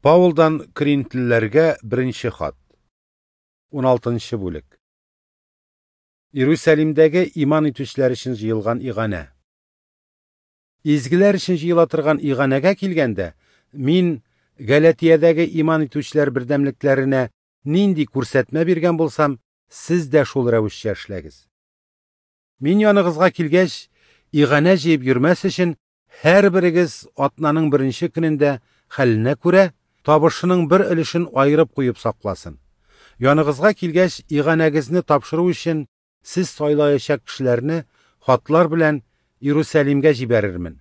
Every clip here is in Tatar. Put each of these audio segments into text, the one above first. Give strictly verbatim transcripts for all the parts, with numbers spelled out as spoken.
Паулдан Коринфлеләргә беренче хат. уналтынчы бүлек. Иерусалимдәге иман итүчеләр өчен җыелган иганә. Изгеләр өчен җыела торган иганәгә килгәндә, мин Галатиядәге иман итүчеләр бердәмлекләренә нинди күрсәтмә биргән булсам, сез дә шул рәвешчә эшләгез. Мин яныгызга килгәч, иганә җыеп йөрмәс өчен, һәрберегез атнаның беренче көнендә хәленә күрә табышының бер өлешен аерып куеп сакласын. Яныгызга килгәч, иганәгезне тапшыру өчен сез сайлаячак кешеләрне хатлар белән Иерусалимгә җибәрермен.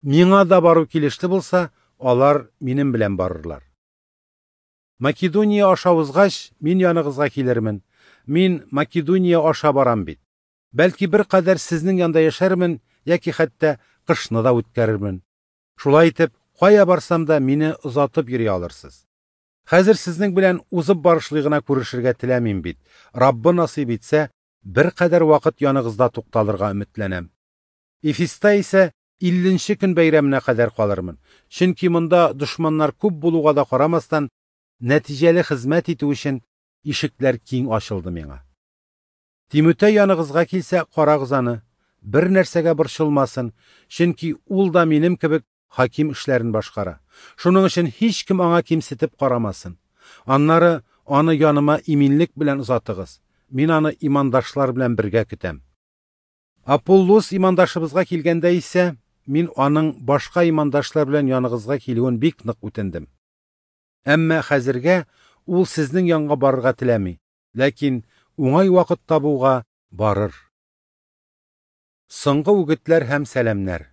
Миңа да бару килешле булса, алар минем белән барырлар. Македония аша узгач, мин яныгызга килермен. Мин Македония аша барам бит. Бәлки бер кадәр сезнең янда яшәрмен яки хәтта кышны да үткәрермен. Шулай итеп, кая барсам да мине озатып йөри алырсыз. Хәзер сезнең белән узып барышлый гына күрешергә теләмим бит. Раббы насыйп итсә, бер кадәр вакыт яныгызда тукталырга өметләнәм. Эфеста исә илленче көн бәйрәменә кадәр калырмын. Чөнки монда дошманнар күп булуга да карамастан, нәтиҗәле хезмәт итү өчен ишекләр киң ачылды миңа. Тимутей яныгызга килсә, карагыз аны, бер нәрсәгә борчылмасын, чөнки ул да минем кебек хаким эшләрен башкара. Шуның өчен һич кем аңа кимсетеп карамасын. Аннары аны яныма иминлек белән озатыгыз. Мин аны имандашлар белән бергә көтәм. Аполлос имандашыбызга килгәндә исә, мин аның башка имандашлар белән яныгызга килүен бик нык үтендем. Әмма хәзергә ул сезнең янга барырга теләми, ләкин уңай вакыт табуга барыр. Соңгы үгетләр һәм сәламнәр.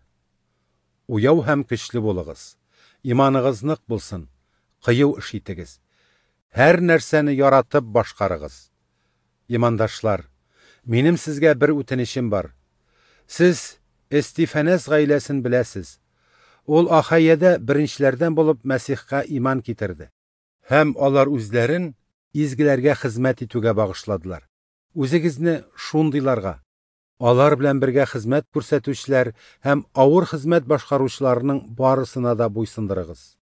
Уяу һәм көчле булыгыз. Иманыгыз нык булсын. Кыю эш итегез. Һәр нәрсәне яратып башкарыгыз. Имандашлар, минем сезгә бер үтенечем бар. Сез Эстифанас гаиләсен беләсез. Ул Ахайяда беренчеләрдән булып Мәсихкә иман китерде. Һәм алар үзләрен изгеләргә хезмәт итүгә багышладылар. Үзегезне шундыйларга, алар белән бергә хезмәт күрсәтүчеләр һәм авыр хезмәт башкаручыларның барысына да буйсындырыгыз.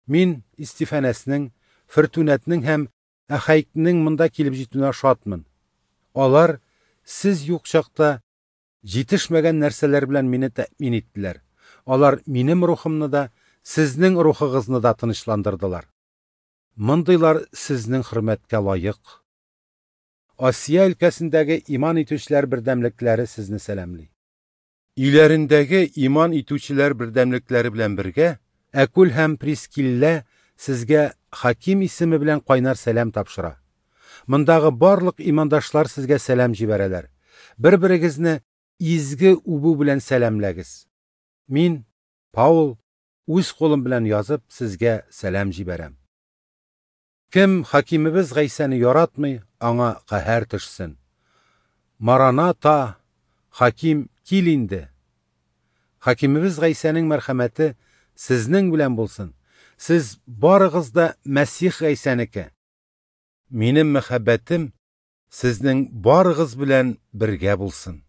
Мин Истифанасның, Фортунатның һәм Ахайкның монда килеп җитүенә шатмын. Алар сез юк чакта җитешмәгән нәрсәләр белән мине тәэмин иттеләр. Алар минем рухымны да, сезнең рухыгызны да тынычландырдылар. Мондыйлар сезнең хөрмәткә лаек. Асия өлкәсендәге иман итүчеләр бердәмлекләре сезне сәламли. Өйләрендәге иман итүчеләр бердәмлекләре белән бергә Әкүл һәм Прискилла сезгә Хаким исеме белән кайнар сәлам тапшыра. Мондагы барлык имандашлар сезгә сәлам җибәрәләр. Бер-берегезне изге үбү белән сәламләгез. Мин, Паул, үз кулым белән язып сезгә сәлам җибәрәм. Кем хакимебез Гайсәне яратмый, аңа каһәр төшсен. Мараната, хаким, кил инде. Хакимебез Гайсәнең мәрхәмәте сезнең белән булсын. Сез барыгыз да Мәсих Гайсәнеке. Минем мәхәббәтем сезнең барыгыз белән бергә булсын.